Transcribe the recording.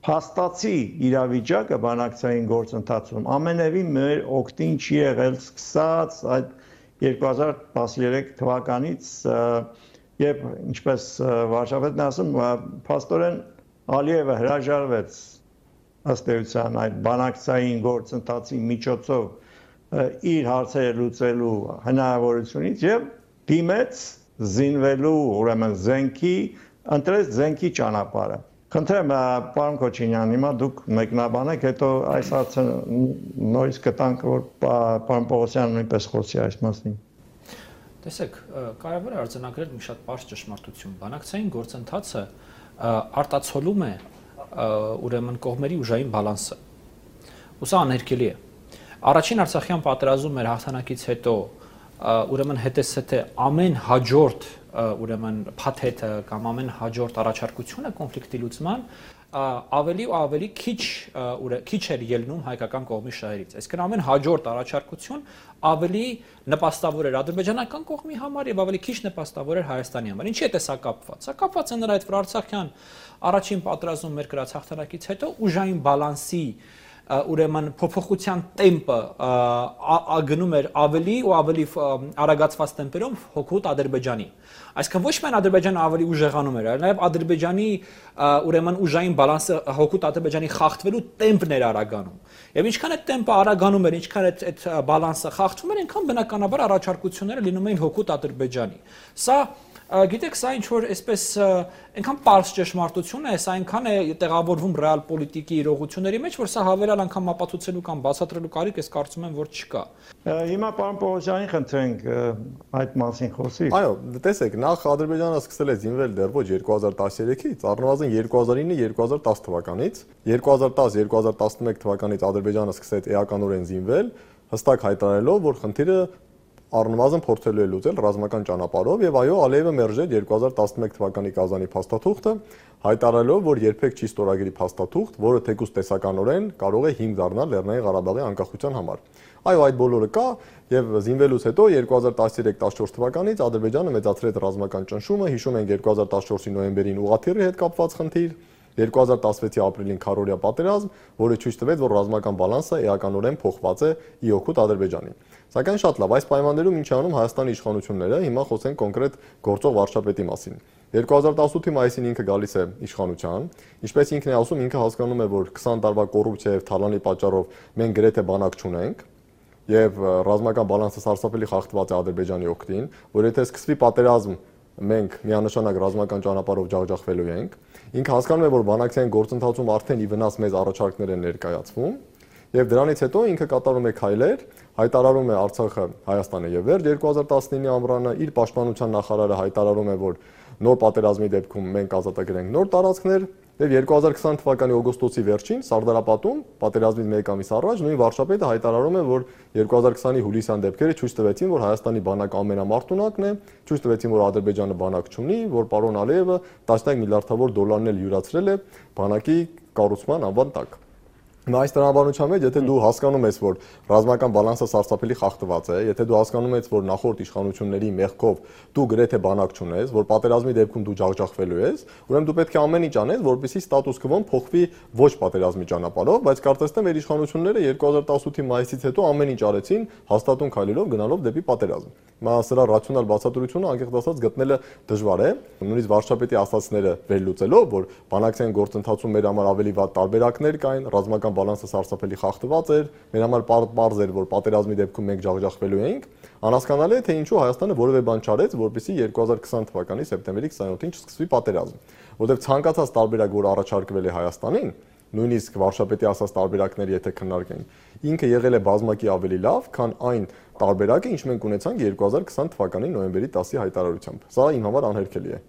փաստացի իրավիճակը բանակցային գործընթացում ամենևին մեր օգտին չի եղել սկսած այդ 2013 թվականից եւ ինչպես վարչապետն ասում փաստորեն Ալիևը հրաժարվեց ըստ էության այդ բանակցային գործընթացի միջոցով իր հարցերը լուծելու հնարավորությունից եւ դիմեց զինվելու ուրեմն ընտրեց զենքի ճանապարհը Խնդրեմ, պարոն Քոչինյան, հիմա դուք մեկնաբանեք, հետո այս հարցը նորից կտանք, որ պարոն Պողոսյանը նույնպես խոսի այս մասին։ Տեսեք, կարևոր է արձանագրել մի շատ պարզ ճշմարտություն։ Բանակցային գործընթացը արտացոլում է ուրեմն կողմերի ուժային բալանսը։ Ու սա աներկելի է։ Առաջին Արցախյան պատերազմում մեր հաղթանակից հետո ուրեմն հետեսեթե ամեն հաջորդ ուրեմն փաթեթը կամ ամեն հաջորդ առաջարկությունը կոնֆլիկտի լուծման ավելի ու ավելի քիչ էր ելնում հայկական կողմի շահերից։ Այսինքն ամեն հաջորդ առաջարկություն ավելի նպաստավոր էր ադրբեջանական կողմի համար եւ ավելի քիչ նպաստավոր էր Հայաստանի համար։ Ինչի՞ է սա կապված։ Սա կապված է նրա այդ Արցախյան առաջին պատերազմում մեր կրած հաղթանակից հետո ուժային բալանսի ուրեմն փոփոխության տեմպը գնում էր ավելի ու ավելի արագացված տեմպերով հօգուտ Ադրբեջանի։ Այսինքն ոչ միայն Ադրբեջանը ավելի ուժեղանում էր, այլ նաև Ադրբեջանի ուրեմն ուժային բալանսը հօգուտ Ադրբեջանի խախտվելու տեմպն էր արագանում։ Եվ ինչքան այդ տեմպը արագանում էր, ինչքան այդ բալանսը խախտվում էր, այնքան բնականաբար առաջարկությունները լինում էին հօգուտ Ադրբեջանի։ Սա Գիտեք, սա ինչ որ այսպես այնքան պարզ ճշմարտություն է, սա այնքան է տեղավորվում ռեալ պոլիտիկի իրողությունների մեջ, որ սա հավելյալ անգամ ապացուցելու կամ բացատրելու կարիք ես կարծում եմ, որ չկա։ Հիմա պարոն Պողոսյանին խնդրենք այդ մասին խոսի։ Այո, տեսեք, նախ Ադրբեջանը սկսել է զինվել դեռ ոչ 2013-ից, առնվազն 2009-2010 թվականից, 2010-2011 թվականից Ադրբեջանը սկսեց էականորեն զինվել, հստակ հայտարարելով, որ խնդիրը առնվազն փորձելու է լուծել ռազմական ճանապարհով եւ այո Ալիևը մերժեց 2011 թվականի Կազանի փաստաթուղթը հայտարարելով որ երբեք չի ստորագրի փաստաթուղթ, որը թեկուզ տեսականորեն կարող է հիմք դառնալ Լեռնային Ղարաբաղի անկախության համար։ Այո, այդ բոլորը կա եւ զինվելուց հետո 2013-14 թվականից Ադրբեջանը մեծացրեց ռազմական ճնշումը, հիշում ենք 2014-ի նոյեմբերին ուղղաթիռի հետ կապված խնդիր 2016-ի ապրիլին քարորիա պատերազմ, որը ցույց տվեց, որ ռազմական բալանսը էականորեն փոխված է ի օգուտ Ադրբեջանի։ Սակայն շատ լավ, այս պայմաններում ինչ անում Հայաստանի իշխանությունները, հիմա խոսենք կոնկրետ գործող վարչապետի մասին։ 2018-ի մայիսին ինքը գալիս է իշխանության, ինչպես ինքն է ասում, ինքը հասկանում է, որ 20 տարվա կոռուպցիա եւ թալանի պատճառով մենք գրեթե բանակ չունենք եւ ռազմական բալանսը սարսափելի խախտված է Ադրբեջանի օգտին, որ եթե սկսվի պատերազմ մենք միանշանակ ռազմական ճանապարհով ջախջախվելու ենք։ Ինքը հասկանում է, որ բանակցային գործընթացում արդեն ի վնաս մեծ առաջարկներ են ներկայացվում, եւ դրանից հետո ինքը կատարում է քայլեր, հայտարարում է Արցախը Հայաստանը եւ վերջ 2019-ի ամռանը իր պաշտպանության նախարարը հայտարարում է, որ նոր պատերազմի դեպքում մենք ազատագրենք նոր տարածքներ եւ 2020 թվականի օգոստոսի վերջին Սարդարապատում պատերազմից մեկ ամիս առաջ նույն վարչապետը հայտարարում է, որ 2020-ի հուլիսյան դեպքերը ցույց տվեցին, որ Հայաստանի բանակը ամենամարտունակն է, ցույց տվեցին, որ Ադրբեջանը բանակ չունի, որ պարոն Ալիևը 10 միլիարդավոր դոլարներ յուրացրել է բանակի կառուցման անվան տակ։ Այս տրամաբանության մեջ, եթե դու հասկանում ես, որ ռազմական բալանսը սարսափելի խախտված է, եթե դու հասկանում ես, որ նախորդ իշխանությունների մեղքով դու գրեթե բանակ չունես, որ պատերազմի դեպքում դու ջախջախվելու ես, ուրեմն դու պետք է ամեն ինչ անես, որպեսզի ստատուս քվոն փոխվի ոչ պատերազմի ճանապարհով, բայց կարծես թե մեր իշխանությունները 2018-ի մայիսից հետո ամեն ինչ արեցին, հաստատուն քայլերով գնալով դեպի պատերազմ։ Հիմա սրա ռացիոնալ բացատրությունը անկեղծ ասած գտնելը դժվար է, նույնիսկ վարչապետի ասացները վերլուծելով, որ բանակցային գործընթացում մեր համար ավելի վատ տարբերակներ կային, ռազմական բալանսը սարսափելի խախտված էր, մեր համար պարզ էր, որ պատերազմի դեպքում մենք ջախջախվելու էինք, անհասկանալի է, թե ինչու Հայաստանը որևէ բան չարեց, որպեսզի 2020 թվականի սեպտեմբերի 27-ին չսկսվի պատերազմ, որովհետև ցանկացած տարբերակ, որ առաջարկվել է Հայաստանին, նույնիսկ վարչապետի ասած տարբերակները եթե քննարկենք, ինքը եղել է բազմակի ավելի լավ, քան այն տարբերակը, ինչ մենք ունեցանք 2020 թվականի նոյեմբերի 10-ի հայտարարությամբ։ Սա իմ համար անհերքելի է։